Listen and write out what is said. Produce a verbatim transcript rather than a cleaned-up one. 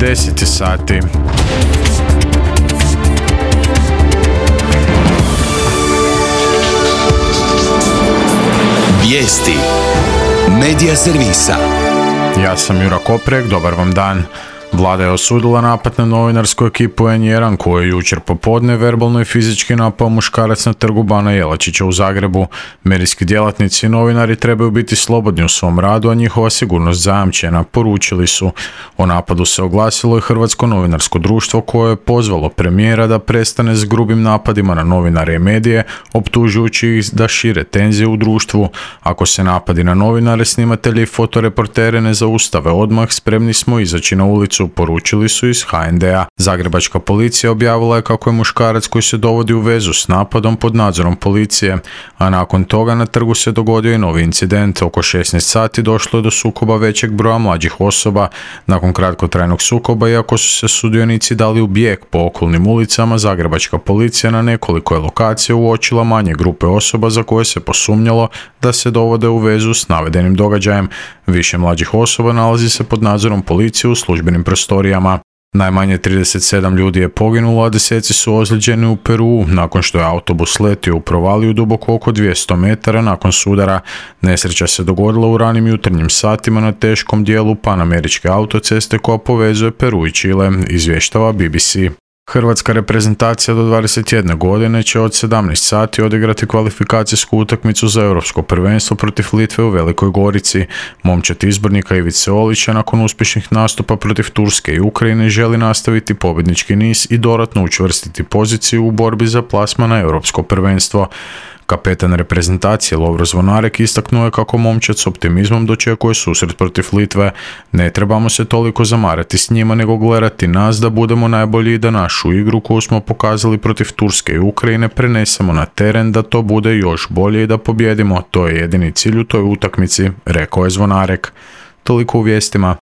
deset sati. Vijesti Medija servisa. Ja sam Jura Koprek, dobar vam dan. Vlada je osudila napad na novinarsku ekipu en jedan koji je jučer popodne verbalno i fizički napao muškarac na trgu Bana Jelačića u Zagrebu. Medijski djelatnici i novinari trebaju biti slobodni u svom radu, a njihova sigurnost zajamčena, poručili su. O napadu se oglasilo i Hrvatsko novinarsko društvo koje je pozvalo premijera da prestane s grubim napadima na novinare i medije, optužujući ih da šire tenzije u društvu. Ako se napadi na novinare, snimatelje i fotoreportere ne zaustave odmah, spremni smo izaći na ulicu, poručili su iz ha en de a. Zagrebačka policija objavila je kako je muškarac koji se dovodi u vezu s napadom pod nadzorom policije, a nakon toga na trgu se dogodio i novi incident. Oko šesnaest sati došlo je do sukoba većeg broja mlađih osoba. Nakon kratkotrajnog sukoba, iako su se sudionici dali u bijeg po okolnim ulicama, zagrebačka policija na nekoliko je lokacija uočila manje grupe osoba za koje se posumnjalo da se dovode u vezu s navedenim događajem. Više mlađih osoba nalazi se pod nadzorom policije u službenim prostorijama. Najmanje trideset sedam ljudi je poginulo, a deseci su ozlijeđeni u Peruu nakon što je autobus letio u provaliju duboko oko dvjesto metara nakon sudara. Nesreća se dogodila u ranim jutarnjim satima na teškom dijelu panameričke autoceste koja povezuje Peru i Čile, izvještava be be ce. Hrvatska reprezentacija do dvadeset jedne godine će od sedamnaest sati odigrati kvalifikacijsku utakmicu za europsko prvenstvo protiv Litve u Velikoj Gorici. Momčad izbornika Ivice Olića nakon uspješnih nastupa protiv Turske i Ukrajine želi nastaviti pobjednički niz i dodatno učvrstiti poziciju u borbi za plasman na europsko prvenstvo. Kapetan reprezentacije Lovro Zvonarek istaknuo je kako momčad s optimizmom dočekuje susret protiv Litve. Ne trebamo se toliko zamarati s njima, nego gledati nas da budemo najbolji i da našu igru koju smo pokazali protiv Turske i Ukrajine prenesemo na teren, da to bude još bolje i da pobjedimo. To je jedini cilj u toj utakmici, rekao je Zvonarek. Toliko u vijestima.